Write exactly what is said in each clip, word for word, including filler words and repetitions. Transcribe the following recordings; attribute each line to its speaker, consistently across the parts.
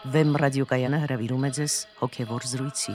Speaker 1: Վեմ ռադիոկայանը հրավիրում է ձեզ հոգևոր զրույցի։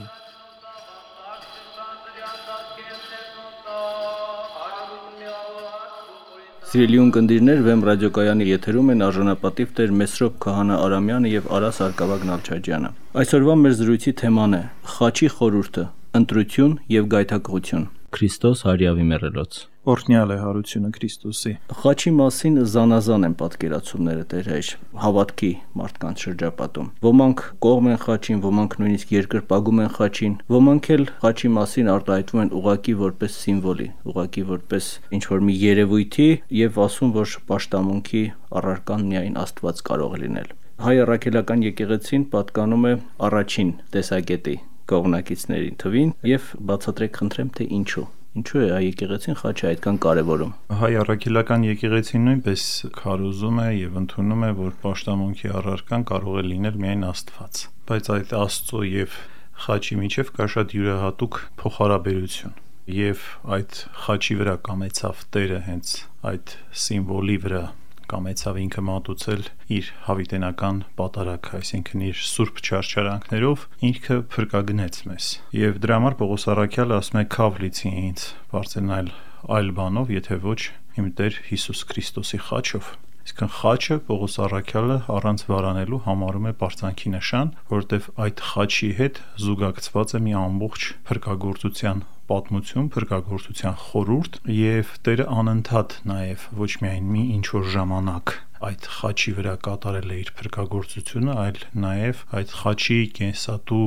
Speaker 2: Սիրելի ունկնդիրներ, Վեմ ռադիոկայանի եթերում են արժանապատիվ Տեր Մեսրոպ Քահանա Արամյանը եւ Արաս Արկավագ Նալչաջյանը։ Այսօրվա մեր զրույցի թեման է Խաչի խորհուրդը, ընտրություն եւ գայթակղություն։ Քրիստոս հարյավի մեռելոց։
Speaker 3: Օրհնյալ է հարությունը Քրիստոսի։
Speaker 2: Խաչի մասին զանազան են պատկերացումները Տեր հայր հավատքի մարդկանց շրջապատում։ Ոմանք կողմ են խաչին, ոմանք նույնիսկ երկրպագում են խաչին, ոմանք էլ խաչի մասին արտահայտվում են ուղղակի որպես սիմվոլի, ուղղակի որպես ինչ-որ մի երևույթի եւ ասում, որ պաշտամունքի առարկան միայն Աստված կարող է լինել։ Հայ առաքելական եկեղեցին պատկանում է առաջին տեսակետի կողմնակիցների թվին եւ բացատրեք խնդրեմ թե ինչու։ Ինչու է հայ եկեղեցին խաչը այդքան կարևորում։
Speaker 3: Հայ առաքելական եկեղեցին նույնպես քարոզում է եւ ընդունում է, որ պաշտամունքի առարկան կարող է լինել միայն Աստված։ Բայց այդ Աստծո եւ խաչի միջև կա շատ յուրահատուկ փոխհարաբերություն։ Եվ այդ խաչի վրա կամեցավ Տերը հենց այդ սիմվոլի վրա կամեցավ ինքը մատուցել իր հավիտենական պատարագը, այսինքն իր սուրբ չարչարանքներով ինքը փրկագնեց մեզ։ Եվ դրա համար Պողոս առաքյալը ասում է «Քավ լիցի ինձ, բարձրանալ այլ բանով, եթե ոչ իմ Տեր Հիսուս Քրիստոսի խաչով»։ Այսինքն խաչը Պողոս առաքյալը առանց վարանելու համարում է պարծանքի նշան, որովհետև այդ խաչի հետ զուգակցված է մի ամբողջ փրկագործության պատմություն, փրկագործության խորհուրդ եւ Տերը անընդհատ նաեւ ոչ միայն մի ինչ-որ ժամանակ այդ խաչի վրա կատարել է իր փրկագործությունը, այլ նաեւ այդ խաչի կենսատու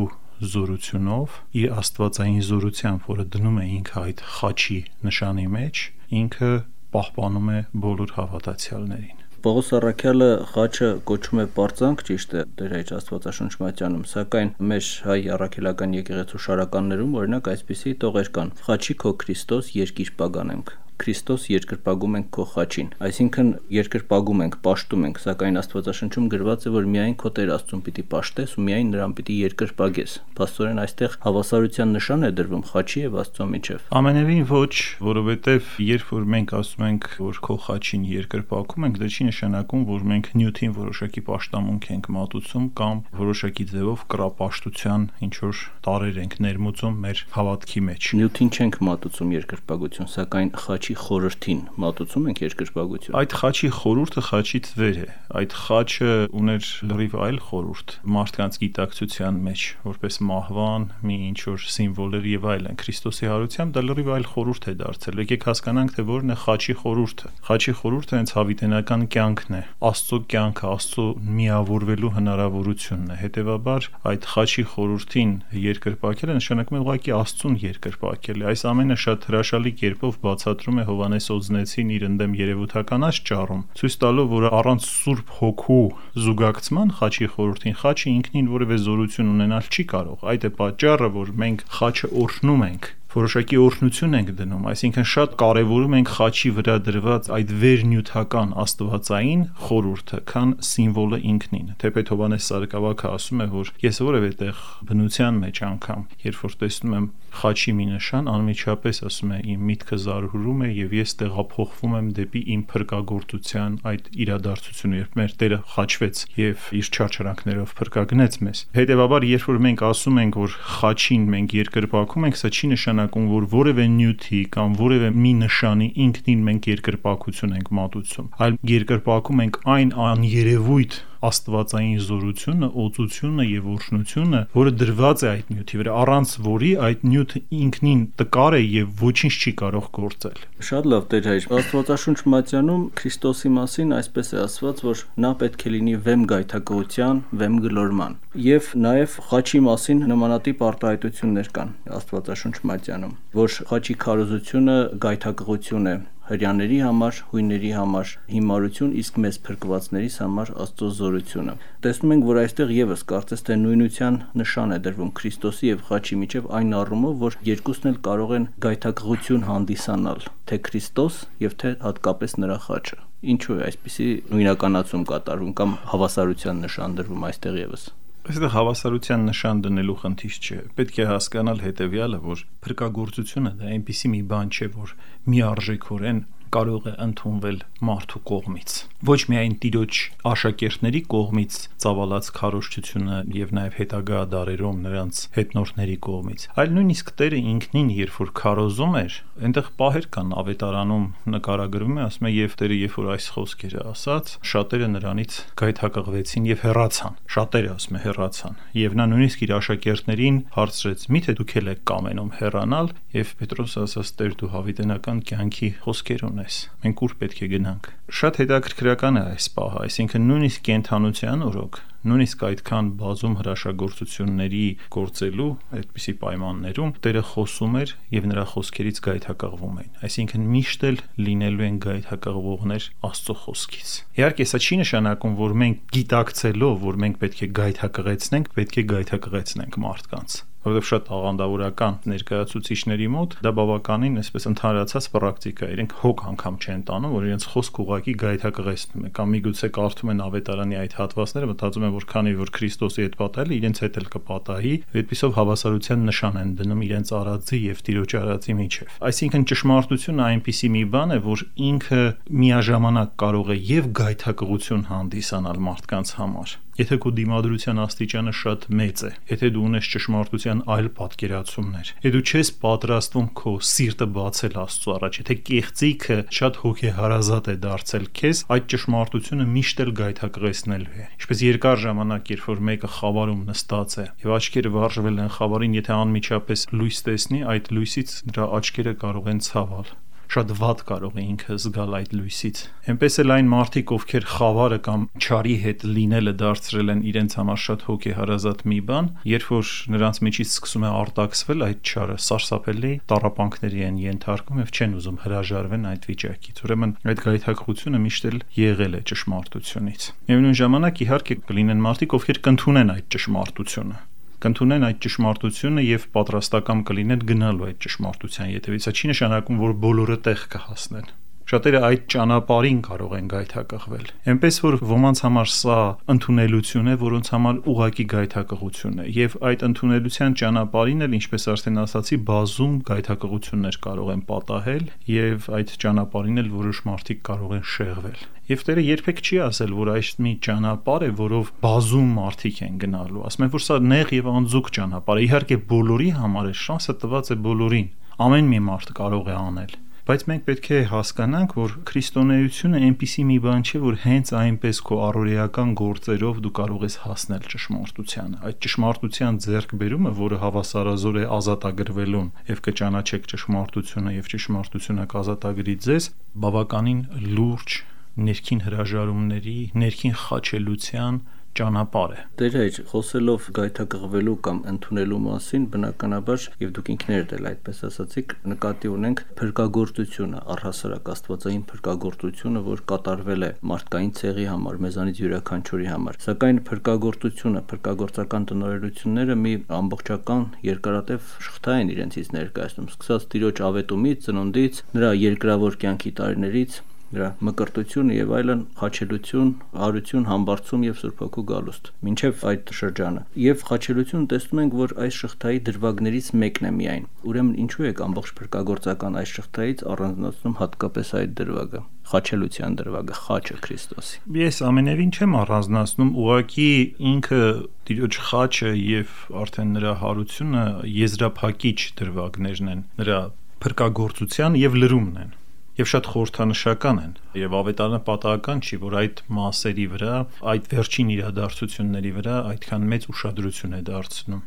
Speaker 3: զորությունով իր աստվածային զորությամբ, որը դնում է ինքը այդ խաչի նշանի մեջ, ինքը պահպանում է բոլոր հավատացյալներին։
Speaker 2: Պողոս առաքյալը խաչը կոչում է պարծանք, ճիշտ է, Տեր հայր Աստվածաշունչ մատյանում, սակայն մեր հայ առաքելական եկեղեցու շարականներում օրինակ այսպիսի տողեր կան. Խաչի քո Քրիստոս երկիր պագանենք, Քրիստոս երկրպագում ենք քո խաչին, այսինքն երկրպագում ենք, պաշտում ենք, սակայն Աստվածաշնչում գրված է, որ միայն քո Տեր Աստծուն պիտի պաշտես ու միայն նրան պիտի երկրպագես։ Փաստորեն այստեղ հավասարության նշան է դրվում խաչի եւ Աստծո միջև։
Speaker 3: Ամենևին ոչ, որովհետեւ երբ որ մենք ասում ենք, որ քո խաչին երկրպագում ենք, դա չի նշանակում, որ մենք նյութին որոշակի պաշտամունք ենք մատուցում կամ որոշակի ձևով կրապաշտության ինչ որ տարեր ենք ներմուծում մեր հավատքի մեջ։
Speaker 2: Նյութին չենք մատուցում երկրպագություն, սակայն խաչի խորհրդին մատուցում ենք երկրպագություն։
Speaker 3: Այդ խաչի խորհուրդը խաչից վեր է։ Այդ խաչը ուներ լրիվ այլ խորհուրդ մարդկանց գիտակցության մեջ, որպես մահվան, մի ինչ որ սիմվոլեր եւ այլն։ Քրիստոսի հարությամբ դա լրիվ այլ խորհուրդ է դարձել։ Եկեք հասկանանք, թե որն է խաչի խորհուրդը։ Խաչի խորհուրդը հենց հավիտենական կյանքն է, Աստծո կյանքը, Աստծո միավորվելու հնարավորությունն է։ Հետևաբար այդ խաչի խորհրդին երկրպագելը նշանակում է ուղղակի Աստծուն երկրպագել։ Այս ամենը շատ հրաշալի կերպով բացատրում է Հովհաննես Օձնեցին իր ընդդեմ երևութականաց ճառում, ցույց տալով, որ առանց Սուրբ Հոգու զուգակցման խաչի խորհրդին խաչը ինքնին որևէ զորություն ունենալ չի կարող։ Այդ է պատճառը, որ մենք խաչը օրհնում ենք, որոշակի օրհնություն ենք դնում, այսինքն շատ կարևորում ենք խաչի վրա դրված այդ վերնյութական աստվածային խորհուրդը, քան սիմվոլը ինքնին։ Թեպետ Հովհաննես Սարգսակյանը ասում է, որ ես որևէ տեղ բնության մեջ անգամ, երբ որ տեսնում եմ խաչի մի նշան, անմիջապես ասում է իմ միտքը զարհուրում է եւ ես տեղափոխվում եմ դեպի իմ փրկagorցության այդ իրադարձությունը, երբ մեր Տերը խաչվեց եւ իր չարչարանքներով փրկագնեց մեզ։ Հետևաբար, երբ որ մենք ասում ենք, որ խաչին մենք երկրպագում ենք, սա չի նշանակում, որ որևէ նյութի կամ որևէ մի նշանի ինքնին մենք երկրպագություն ենք մատուցում, այլ երկրպագում ենք այն աներևույթ աստվածային զորությունը, օծությունը եւ օրհնությունը, որը դրված է այդ նյութի վրա, առանց որի այդ նյութը ինքնին տկար է եւ ոչինչ չի կարող գործել։
Speaker 2: Շատ լավ, Տեր հայր, Աստվածաշունչ մատյանում Քրիստոսի մասին այսպես է ասված, որ նա պետք է լինի վեմ գայթակղության, վեմ գլորման։ Եվ նաեւ խաչի մասին նմանատիպ արտահայտություններ կան Աստվածաշունչ մատյանում, որ խաչի քարոզությունը գայթակղություն է հրյաների համար, հույների համար հիմարություն, իսկ մեզ փրկվածներիս համար Աստծո զորությունը։ Տեսնում ենք, որ այստեղ եւս կարծես թե նույնության նշան է դրվում Քրիստոսի եւ խաչի միջև այն առումով, որ երկուսն էլ կարող են գայթակղություն հանդիսանալ, թե Քրիստոս եւ թե հատկապես նրա խաչը։ Ինչու է այսպիսի նույնականացում կատարվում կամ հավասարության նշան դրվում այստեղ եւս։
Speaker 3: Այստեղ հավասարության նշան դնելու խնդիր չէ։ Պետք է հասկանալ հետևյալը, որ փրկagorցությունը դա այնպիսի մի բան չէ, որ միարժեքորեն կարող է ընդունվել մարդու կողմից։ Ոչ միայն Տիրոջ աշակերտների կողմից ծավալած քարոզչությունը եւ նաեւ հետագա դարերում նրանց հետնորդների կողմից, այլ նույնիսկ Տերը ինքնին, երբ որ քարոզում էր, այնտեղ պահեր կան ավետարանում նկարագրվում է, ասում է եւ Տերը երբ որ այս խոսքերը ասաց, շատերը նրանից գայթակղվեցին եւ հեռացան։ Շատերը ասում է հեռացան։ Եվ նա նույնիսկ իր աշակերտներին հարցրեց. «Միթե դուք ել եք կամենում հեռանալ»։ Եվ Պետրոսը ասաց. «Տեր, դու հավիտենական կյանքի խոսքեր ունես։ Մենք ուր պետք է գնանք»։ Շատ հետաքրքրական է այս պահը, այսինքն նույնիսկ կենթանության օրոք, նույնիսկ այդքան բազում հրաշագործությունների գործելու այդպիսի պայմաններում Տերը խոսում էր եւ նրա խոսքերից գայթակղվում էին։ Այսինքն միշտ էլ լինելու են գայթակղվողներ Աստծո խոսքից։ Իհարկե, սա չի նշանակում, որ մենք գիտակցելով, որ մենք պետք է գայթակղեցնենք, պետք է գայթակղեցնենք մարդկանց։ Որովհետև շատ աղանդավորական ներկայացուցիչների մոտ դա բավականին այսպես ընդհանրացած պրակտիկա է։ Իրենք հոգ անգամ չեն տանում, որ իրենց խոսք ուղակի գայթակղեցնում է, կամ միգուցե կարդում են ավետարանի այդ հատվածները, մտածում են, որ քանի որ Քրիստոսի հետ պատահել է, իրենց հետ էլ կպատահի, այդպիսով հավասարության նշան են դնում իրենց արածի եւ Տիրոջ արածի միջեւ։ Այսինքն ճշմարտությունը այնպիսի մի բան է, որ ինքը միաժամանակ կարող է եւ գայթակղություն հանդիսանալ մարդկանց համար։ Եթե քո դիմադրության աստիճանը շատ մեծ է, եթե դու ունես ճշմարտության այլ պատկերացումներ, եթե դու չես պատրաստվում քո սիրտը բացել Աստծո առաջ, եթե կեղծիքը շատ հոգեհարազատ է դարձել քեզ, այդ ճշմարտությունը միշտ էլ գայթակղեցնելու է։ Ինչպես երկար ժամանակ, երբ որ մեկը խավարում նստած է եւ աչքերը վարժվել են խավարին, եթե անմիջապես լույս տեսնի, այդ լույսից նրա աչքերը կարող են ցավել։ Շատ վատ կարող է ինքը զգալ այդ լույսից։ Էնպես էլ այն մարդիկ, ովքեր խավարը կամ չարի հետ լինելը դարձրել են իրենց համար շատ հոգեհարազատ մի բան, երբ որ նրանց միջից սկսում է արտաքսվել այդ չարը, սարսափելի տառապանքների են ենթարկվում եւ չեն ուզում հրաժարվեն այդ վիճակից։ Ուրեմն այդ գայթակղությունը միշտ էլ եղել է ճշմարտությունից։ Միևնույն ժամանակ իհարկե կլինեն մարդիկ, ովքեր կընդունեն այդ ճշմարտությունը կընդունեն այդ ճշմարտությունը եւ պատրաստական կլինեն գնալու այդ ճշմարտության ետևից։ Սա չի նշանակում, որ բոլորը տեղ կհասնեն։ Շատերը այդ ճանապարհին կարող են գայթակղվել։ Էնպես որ ոմանց համար սա ընդունելություն է, որոնց համար ուղակի գայթակղություն է, եւ այդ ընդունելության ճանապարհին էլ, ինչպես արդեն ասացի, բազում գայթակղություններ կարող են պատահել եւ այդ ճանապարհին էլ որոշ մարդիկ կարող են շեղվել։ Եվ Տերը երբեք չի ասել, որ այս մի ճանապարհ է, որով բազում մարդիկ են գնալու։ Ասում է, որ սա նեղ եւ անձուկ ճանապարհ է։ Իհարկե բոլորի համար է, շանսը տված է բոլորին։ Ամեն մի մարդ կարող է անել։ Բայց մենք պետք է հասկանանք, որ քրիստոնեությունը այնպիսի մի բան չէ, որ հենց այնպես քո առօրեական գործերով դու կարող ես հասնել ճշմարտությանը։ Այդ ճշմարտության ձեռքբերումը, որը հավասարազոր է ազատագրվելուն, եւ կճանաչեք ճշմարտությունը եւ ճշմարտությունը կազատագրի ձեզ, բավականին լուրջ ներքին հրաժարումների, ներքին խաչելության ճանապարհ է։
Speaker 2: Տեր հայր, խոսելով գայթակղվելու կամ ընդունելու մասին, բնականաբար եւ դուք ինքներդ էլ այդպես ասացիք, նկատի ունենք փրկagorցությունը, առհասարակ աստվածային փրկagorցությունը, որ կատարվել է մարդկային ցեղի համար, մեզանից յուրաքանչյուրի համար։ Սակայն փրկagorցությունը, փրկagorցական տնօրենությունները մի ամբողջական երկարատև շղթա են իրենցից ներկայացնում, սկսած Տիրոջ ավետումից, ծնունդից, նրա երկրավոր կյանքի տարիներից, նրա մկրտությունը եւ այլն, խաչելություն, արություն, համբարձում եւ Սուրբ Հոգու գալուստ, մինչեւ այդ շրջանը։ Եվ խաչելությունը տեսնում ենք, որ այս շղթայի դրվագներից մեկն է միայն։ Ուրեմն ինչու է ամբողջ փրկagorցական այս շղթայից առանձնացնում հատկապես այդ դրվագը, խաչելության դրվագը, խաչը Քրիստոսի։
Speaker 3: Ես ամենևին չեմ առանձնացնում, ուղղակի ինքը Տիրոջ խաչը եւ արդեն նրա հարությունը եզրափակիչ դրվագներն են, նրա փրկagorցության եւ լրումն են։ Եվ շատ խորհրդանշական են, եւ ավետարանը պատահական չի, որ այդ մասերի վրա, այդ վերջին իրադարձությունների վրա այդքան մեծ ուշադրություն է դարձնում։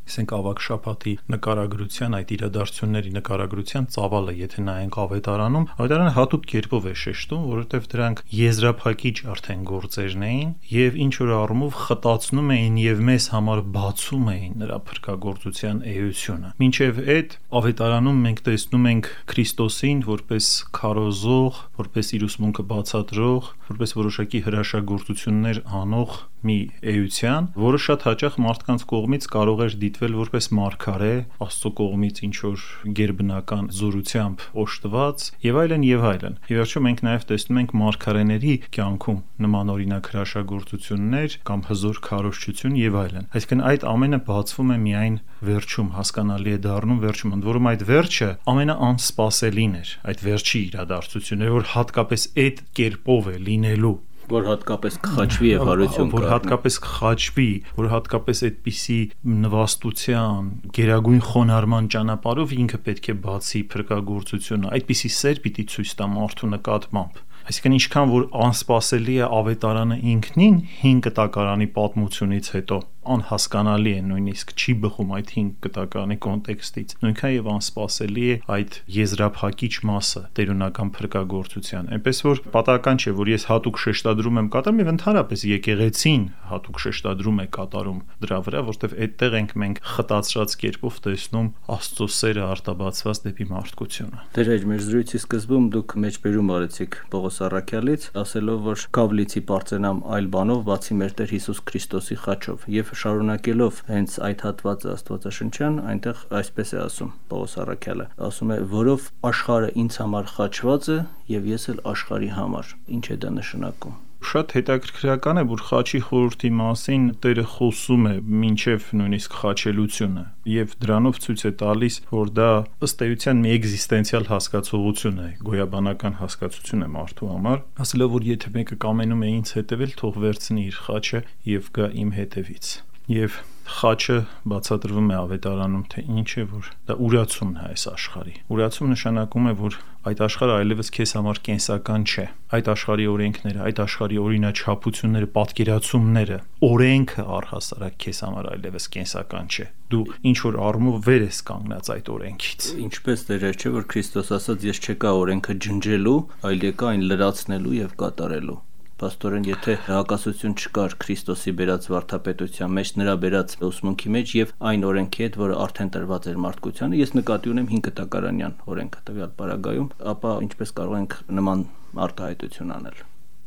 Speaker 3: Ասենք ավակ շաբաթի նկարագրության, այդ իրադարձությունների նկարագրության ծավալը, եթե նայենք ավետարանում, ավետարանը հատուկ կերպով է շեշտում, որովհետև դրանք եզրափակիչ արդեն գործերն էին եւ ինչ որ առումով խտացնում էին եւ մեզ համար բացում էին նրա փրկagorցության էությունը։ Մինչեւ այդ ավետարանում մենք տեսնում ենք Քրիստոսին որպես քարոզող, որպես իր ուսմունքը բացատրող, որպես որոշակի հրաշագործություններ անող մի էության, որը շատ հաճախ մարդկանց կողմից կարող էր դիտվել որպես մարգարե, Աստծո կողմից ինչ որ գերբնական զորությամբ օժտված եւ այլն եւ այլն։ Ի վերջո մենք նաեւ տեսնում ենք մարգարեների կյանքում նմանօրինակ հրաշագործություններ կամ հզոր քարոզչություն եւ այլն։ Այսինքն այդ ամենը բացվում է միայն վերջում, հասկանալի է դառնում վերջում, ընդ որում այդ վերջը ամենաանսպասելին էր, այդ վերջի իրադարձությունները, որ հատկապես այդ կերպով է լինելու,
Speaker 2: որ հատկապես կխաչվի եւ հարություն կա,
Speaker 3: որ հատկապես կխաչվի, որ հատկապես այդպիսի նվաստության, գերագույն խոնարհման ճանապարհով ինքը պետք է բացի փրկagorցությունը, այդպիսի սեր պիտի ցույց տա մարդու նկատմամբ։ Այսինքն ինչքան որ անսպասելի է ավետարանը ինքնին հինգ կտակարանի պատմությունից հետո, անհասկանալի է, նույնիսկ չի բխում այդ հինգ կտակարանի կոնտեքստից, նույնքան եւ անսպասելի է այդ եզրափակիչ մասը տերունական փրկagorցության։ Այնպես որ պատահական չէ, որ ես հատուկ շեշտադրում եմ կատարում եւ ընդհանրապես եկեղեցին հատուկ շեշտադրում է կատարում դրա վրա, որտեղ այդտեղ ենք մենք խտացրած կերպով տեսնում Աստծո սերը արտաբացված դեպի մարդկությունը։
Speaker 2: Դեր մեր զրույցի սկզբում դուք մեջբերում արեցիք Պողոս առաքյալից, ասելով, որ կավլիցի պարծենամ այլ բանով, բացի մեր Տեր Հիսուս Քրիստոսի խաչով, եւ շարունակելով հենց այդ հատվածը Աստվածաշնչյան, այնտեղ այսպես է ասում Պողոս առաքյալը, ասում է, որով աշխարհը ինձ համար խաչված է եւ ես էլ աշխարհի համար։ Ինչ է դա նշանակում։
Speaker 3: Շատ հետաքրքրական է, որ խաչի խորհրդի մասին Տերը խոսում է մինչև նույնիսկ խաչելությունը եւ դրանով ցույց է տալիս, որ դա ըստ էության մի էգզիստենցիալ հասկացողություն է, գոյաբանական հասկացություն է մարդու համար, ասելով, որ եթե մեկը կամենում է ինձ հետևել, թող վերցնի իր խաչը եւ գա իմ հետևից։ Եվ խաչը բացատրվում է ավետարանում, թե ինչ է, որ դա ուրացումն է այս աշխարհի։ Ուրացում նշանակում է, որ այդ աշխարհը այլևս քեզ համար կենսական չէ։ Այդ աշխարհի օրենքները, այդ աշխարհի օրինաչափությունները, պատկերացումները, օրենքը առհասարակ քեզ համար այլևս կենսական չէ։ Դու ինչ որ առումով վեր ես կանգնած այդ օրենքից։
Speaker 2: Ինչպես դեր չէ, որ Քրիստոս ասաց, ես չեկա օրենքը ջնջելու, այլ եկա այն լրացնելու եւ կատարելու։ Պաստորեն, եթե հակասություն չկար Քրիստոսի բերած վարդապետության մեջ, նրա բերած ուսմունքի մեջ եւ այն օրենքի հետ, որը արդեն տրված էր մարդկությանը, ես նկատի ունեմ հինգ կտակարանյան օրենքը տվյալ պարագայում, ապա ինչպես կարող ենք նման արտահայտություն անել։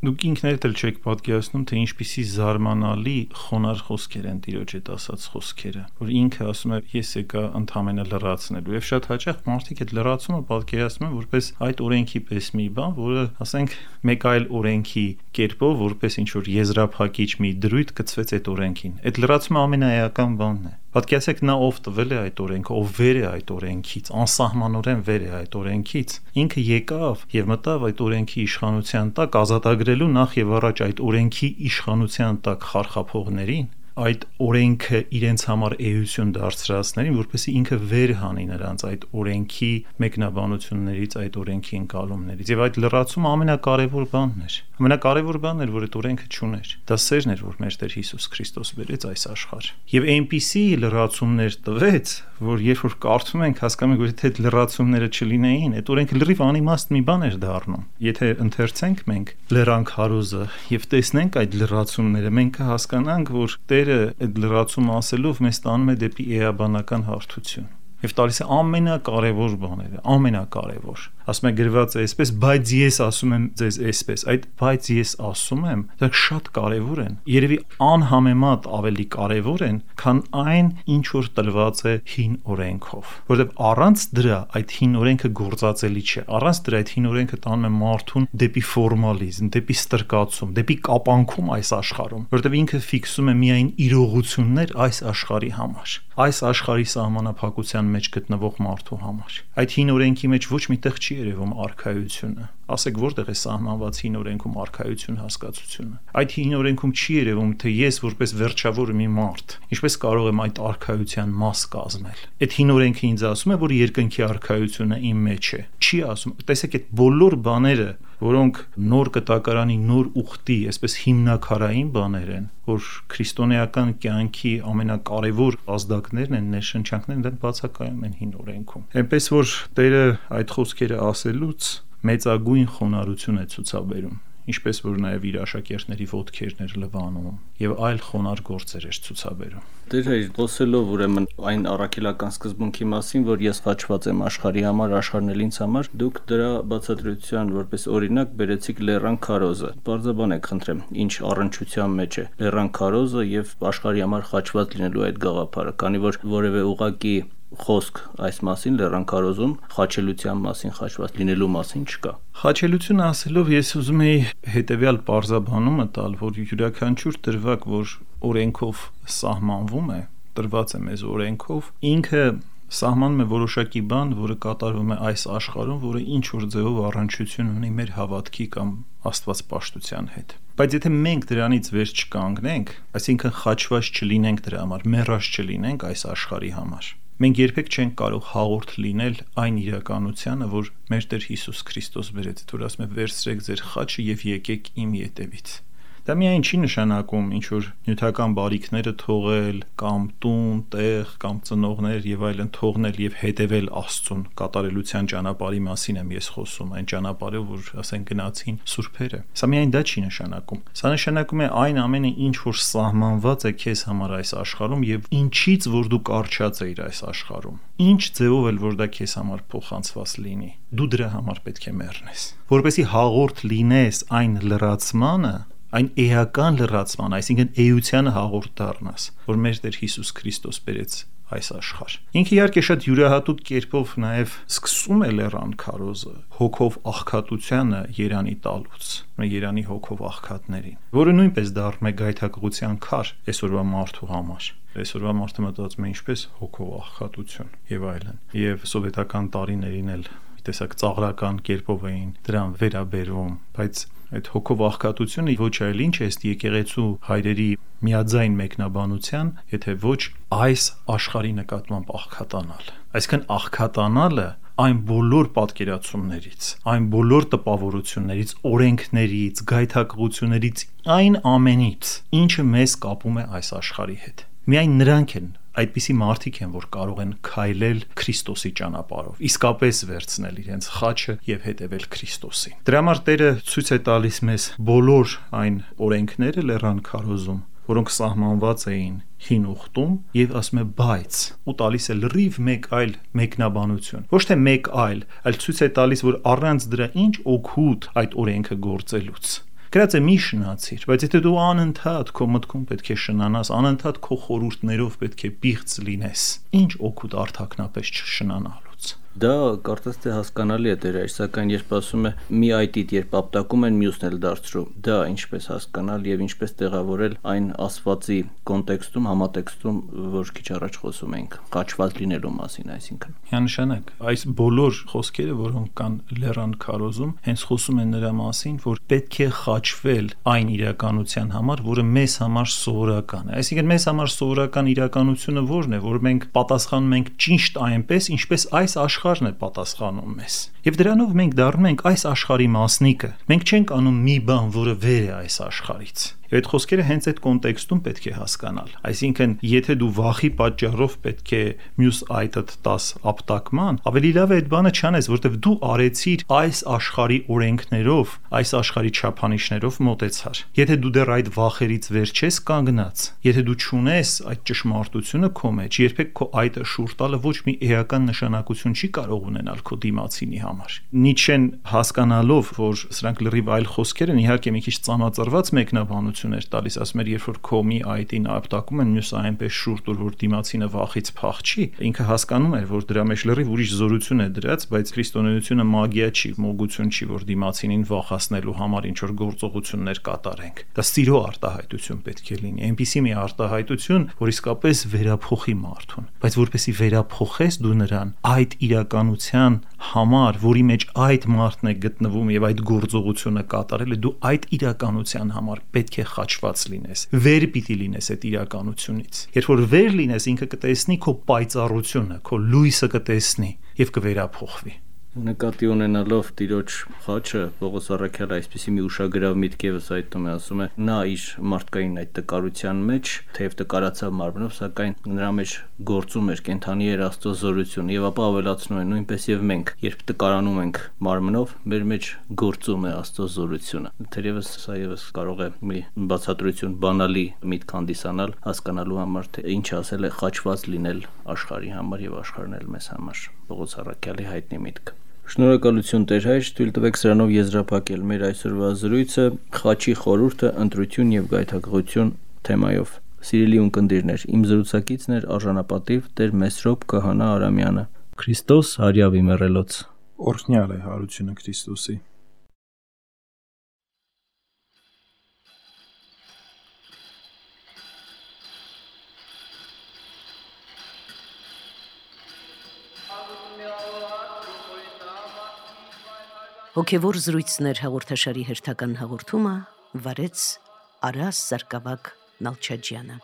Speaker 3: Դուք ինքներդ էլ չեք պատկերացնում, թե ինչպիսի զարմանալի խոնարհ խոսքեր են Տիրոջ հետ ասած խոսքերը, որ ինքը ասում է, ես եկա ընդհանրապես լրացնելու, եւ շատ հաճախ մարդիկ այդ լրացումը պատկերացնում են որպես այդ օրենքի պես մի բան, որը, ասենք, մեկ այլ օրենքի կերպով, որպես ինչ որ եզրափակիչ մի դրույթ գծվեց այդ օրենքին։ Այդ լրացումը ամենաէական բանն է։ Պատկերացեք, նա ով տվել է այդ օրենքը, ով վեր է այդ օրենքից, անսահմանորեն վեր է այդ օրենքից, ինքը եկավ եւ մտավ այդ օրենքի իշխանության տակ, ազատագրելու նախ եւ առաջ այդ օրենքի իշխանության տակ խարխափողներին, այդ օրենքը իրենց համար էություն դարձրածներին, որպեսզի ինքը վեր հանի նրանց այդ օրենքի մեկնաբանություններից, այդ օրենքի ընկալումներից։ Եվ այդ լրացումը ամենակարևոր բանն էր։ Ամենակարևոր բանն էր, որ այդ օրենքը չուներ։ Դա սերն էր, որ մեր Տեր Հիսուս Քրիստոս բերեց այս աշխարհ։ Եվ այնպիսի լրացումներ տվեց, որ երբ որ կարդում ենք, հասկանում ենք, որ եթե այդ լրացումները չլինեին, այդ օրենքը լրիվ անիմաստ մի բան էր դառնում։ Եթե ընթերցենք մենք լրանք հարուզը եւ տեսնենք այդ լրացումները, մենք կհասկանանք, որ Տերը այդ լրացումը ասելով մեզ տանում է դեպի էաբանական հարթություն եւ տալիս է ամենակարևոր բաները, ամենակարևոր։ Ասում է գրված է այսպես, բայց ես ասում եմ ձեզ այսպես, այդ բայց ես ասում եմ, դա շատ կարևոր են, երևի անհամեմատ ավելի կարևոր են, քան այն, ինչ որ տրված է հին օրենքով, որովհետեւ առանց դրա այդ հին օրենքը գործածելի չէ, առանց դրա այդ հին օրենքը տանում է մարդուն դեպի ֆորմալիզմ, դեպի ստրկացում, դեպի կապանքում այս աշխարհում, որովհետեւ ինքը ֆիքսում է միայն իրողություններ այս աշխարհի համար, այս աշխարհի սահմանափակության մեջ գտնվող մարդու համար։ Այդ հին օրենքի մեջ ոչ մի տեղ չի երևում արքայությունը։ Ասեք, որտեղ է սահմանված հին օրենքում արքայություն հասկացությունը։ Այդ հին օրենքում չի երևում, թե ես որպես վերջավոր մի մարդ ինչպես կարող եմ այդ արքայության մաս կազմել։ Այդ հին օրենքը ինձ ասում է, որ երկնքի արքայությունը իմ մեջ է։ Չի ասում, տեսեք, այդ բոլոր բաները, որոնք նոր կտակարանի նոր ուխտի, այսպես հիմնակարային բաներ են, որ քրիստոնեական կյանքի ամենակարևոր ազդակներն են, ներշնչանքներն են, բացակայում են հին օրենքում։ Այնպես որ Տերը այդ խոսքերը ասելուց մեծագույն խոնարհություն է ցուցաբերում ինչպես որ նաև իր աշակերտների ոտքերն էր լվանում եւ այլ խոնարհ գործեր էր ցուցաբերում։
Speaker 2: Դեր հայր խոսելով ուրեմն այն առաքելական սկզբունքի մասին, որ ես խաչված եմ աշխարհի համար, աշխարհն էլ ինձ համար, դուք դրա բացատրության որպես օրինակ բերեցիք Լեռան քարոզը։ Բարձրաբանեք, խնդրեմ, ինչ առնչության մեջ է Լեռան քարոզը եւ աշխարհի համար խաչված լինելու այդ գաղափարը, քանի որ որևէ ուղակի խոսք այս մասին Լեռան քարոզում խաչելության մասին, խաչված լինելու մասին չկա։
Speaker 3: Խաչելություն ասելով ես ուզում եի հետեւյալ բարձրաբանումը տալ, որ յուրաքանչյուր դրվագ, որ օրենքով սահմանվում է, տրված է մեզ օրենքով, ինքը սահմանում է որոշակի բան, որը կատարվում է այս աշխարհում, որը ինչ որ ձևով առնչություն ունի մեր հավատքի կամ աստվածպաշտության հետ։ Բայց եթե մենք դրանից վեր չկանգնենք, այսինքն խաչված չլինենք դրա համար, մեռած չլինենք այս աշխարհի համար, մենք երբեք չենք կարող հաղորդ լինել այն իրականությանը, որ մեր Տեր Հիսուս Քրիստոս բերեց, որ ասում է վերցրեք ձեր խաչը եւ եկեք իմ ետևից։ Դա միայն չի նշանակում ինչ որ նյութական բարիքները թողել կամ տուն, տեղ կամ ծնողներ եւ այլն թողնել եւ հետեւել Աստծուն, կատարելության ճանապարհի մասին եմ ես խոսում, այն ճանապարհը, որ ասեն գնացին սուրբերը։ Սա միայն դա չի նշանակում։ Սա նշանակում է այն ամենը, ինչ որ սահմանված է քեզ համար այս աշխարհում եւ ինչից որ դու կարճած ես այս աշխարհում։ Ինչ ձևով էլ որ դա քեզ համար փոխանցված լինի, դու դրա համար պետք է մեռնես, որպեսզի հաղորդ լինես այն լրացմանը, այն էական լրացման, այսինքն էությանը հաղորդ դառնաս, որ մեր Տեր Հիսուս Քրիստոս բերեց այս աշխարհ։ Ինքը իհարկե շատ յուրահատուկ կերպով նաև սկսում է Լեռան քարոզը հոգով աղքատությանը Երանի տալուց, Երանի հոգով աղքատներին, որը նույնպես դառնում է գայթակղության քար այսօրվա մարդու համար։ Այսօրվա մարդը մտածում է ինչպես հոգով աղքատություն եւ այլն։ Եվ սովետական տարիներին էլ տեսակ ծաղրական կերպով էին դրան վերաբերվում, բայց այդ հոգով աղքատությունը ոչ այլ ինչ է ըստ եկեղեցու հայրերի միաձայն մեկնաբանության, եթե ոչ այս աշխարհի նկատմամբ աղքատանալ։ Այսինքն աղքատանալը այն բոլոր պատկերացումներից, այն բոլոր տպավորություններից, օրենքներից, գայթակղություններից, այն ամենից, ինչը մեզ կապում է այս աշխարհի հետ։ Միայն նրանք են այդպիսի մարդիկ են, որ կարող են քայլել Քրիստոսի ճանապարհով, իսկապես վերցնել իրենց խաչը եւ հետեւել Քրիստոսին։ Դրա համար Տերը ցույց է տալիս մեզ բոլոր այն օրենքները Լեռան քարոզում, որոնք սահմանված էին հին ուխտում եւ ասում է բայց ու տալիս է լրիվ մեկ այլ մեկնաբանություն։ Ոչ թե մեկ այլ, այլ ցույց է տալիս, որ առանց դրա ինչ օգուտ այդ օրենքը գործելուց։ Գրած է մի շնացիր, բայց եթե դու անընդհատ քո մտքում պետք է շնանաս, անընդհատ քո խորհուրդներով պետք է պիղծ լինես, ինչ օգուտ արդյունքնապես չշնանալուց։ Դա
Speaker 2: կարծես թե հասկանալի է Տեր, սակայն երբ ասում է մի այտիտ, երբ ապտակում են մյուսն էլ դարձրու, դա ինչպես հասկանալ եւ ինչպես տեղավորել այն ասվածի կոնտեքստում, համատեքստում, որ քիչ առաջ խոսում ենք, խաչված լինելու մասին, այսինքն։
Speaker 3: Միանշանակ, այս բոլոր խոսքերը, որոնք կան Լեռան քարոզում, հենց խոսում են նրա մասին, որ պետք է խաչվել այն իրականության համար, որը մեզ համար սովորական է։ Այսինքն մեզ համար սովորական իրականությունը ո՞րն է, որ մենք պատասխանում ենք ճիշտ այնպես, ինչպես այս աշխարհն է պատասխանում մեզ։ Եվ դրանով մենք դառնում ենք այս աշխարհի մասնիկը։ Մենք չենք անում մի բան, որը վեր է այս աշխարհից։ Եվ այդ խոսքերը հենց այդ կոնտեքստում պետք է հասկանալ։ Այսինքն, եթե դու վախի պատճառով պետք է մյուս այտդ տաս ապտակման, ավելի լավ է այդ բանը չանես, որտեվ դու արեցիր այս աշխարհի օրենքներով, այս աշխարհի չափանիշներով մոտեցար։ Եթե դու դեռ այդ վախերից վեր չես կանգնած, եթե դու չունես այդ ճշմարտությունը քո մեջ, երբեք քո այտը շուռ տալը ոչ մի էական նշանակություն չի կարող ունենալ քո դիմացինի համար։ Նիչեն հասկանալով, որ սրանք լրիվ այլ խոսքեր են, իհարկե մի քիչ ծանոթացված մեկնաբանություն էր տալիս, ասում էր, երբ որ քո մի այտին ապտակում են, մյուսը այնպես շուռ տուր, որ դիմացինը վախից փախչի, ինքը հասկանում էր, որ դրա մեջ լրիվ ուրիշ զորություն է դրած, բայց քրիստոնեությունը մագիա չի, մոգություն չի, որ դիմացինին վախացնելու համար ինչ որ գործողություններ կատարենք։ Դա սիրո արտահայտություն պետք է լինի, այնպիսի մի արտահայտություն, որ իսկապես վերափոխի մարդուն, բայց որպեսի վերափոխես դու նրան այդ իրականության համար, որի մեջ այդ մարդն է գտնվում եւ այդ գործողությունը կատարել է, դու այդ իրականության համար պետք է խաչված լինես, վեր պիտի լինես այդ իրականությունից։ Երբ որ վեր լինես, ինքը կտեսնի քո պայծառությունը, քո լույսը կտեսնի եւ կվերափոխվի։
Speaker 2: Նկատի ունենալով Տիրոջ խաչը, Պողոս առաքյալը այսպիսի մի ուշագրավ միտք ևս այդտում է, ասում է, նա իր մարդկային այդ տկարության մեջ, թեև տկարացավ մարմնով, սակայն նրա մեջ գործում էր, կենդանի էր Աստծո զորություն, եւ ապա ավելացնում է, նույնպես եւ մենք, երբ տկարանում ենք մարմնով, մեր մեջ գործում է Աստծո զորությունը։ Թերևս սա ևս կարող է մի բացատրություն, բանալի միտք հանդիսանալ, հասկանալու համար, թե ինչ ասել է խաչված լինել աշխարհի համար եւ աշխարհն էլ մեզ համար։ Պողոս առաքյալի հայտնի միտք։ Շնորհակալություն Տեր հայր, թույլ տվեք սրանով եզրափակել մեր այսօրվա զրույցը խաչի խորհուրդը, ընտրություն եւ գայթակղություն թեմայով։ Սիրելի ունկնդիրներ, իմ զրուցակիցն էր արժանապատիվ Տեր Մեսրոպ Քահանա Արամյանը։ Քրիստոս հարյավի մեռելոց։
Speaker 3: Օրհնյալ է հարությունը Քրիստոսի։
Speaker 1: Հոգևոր զրույցներ հաղորդաշարի հերթական հաղորդումը վարեց Արաս Սարգսակ Նալչաջյանը։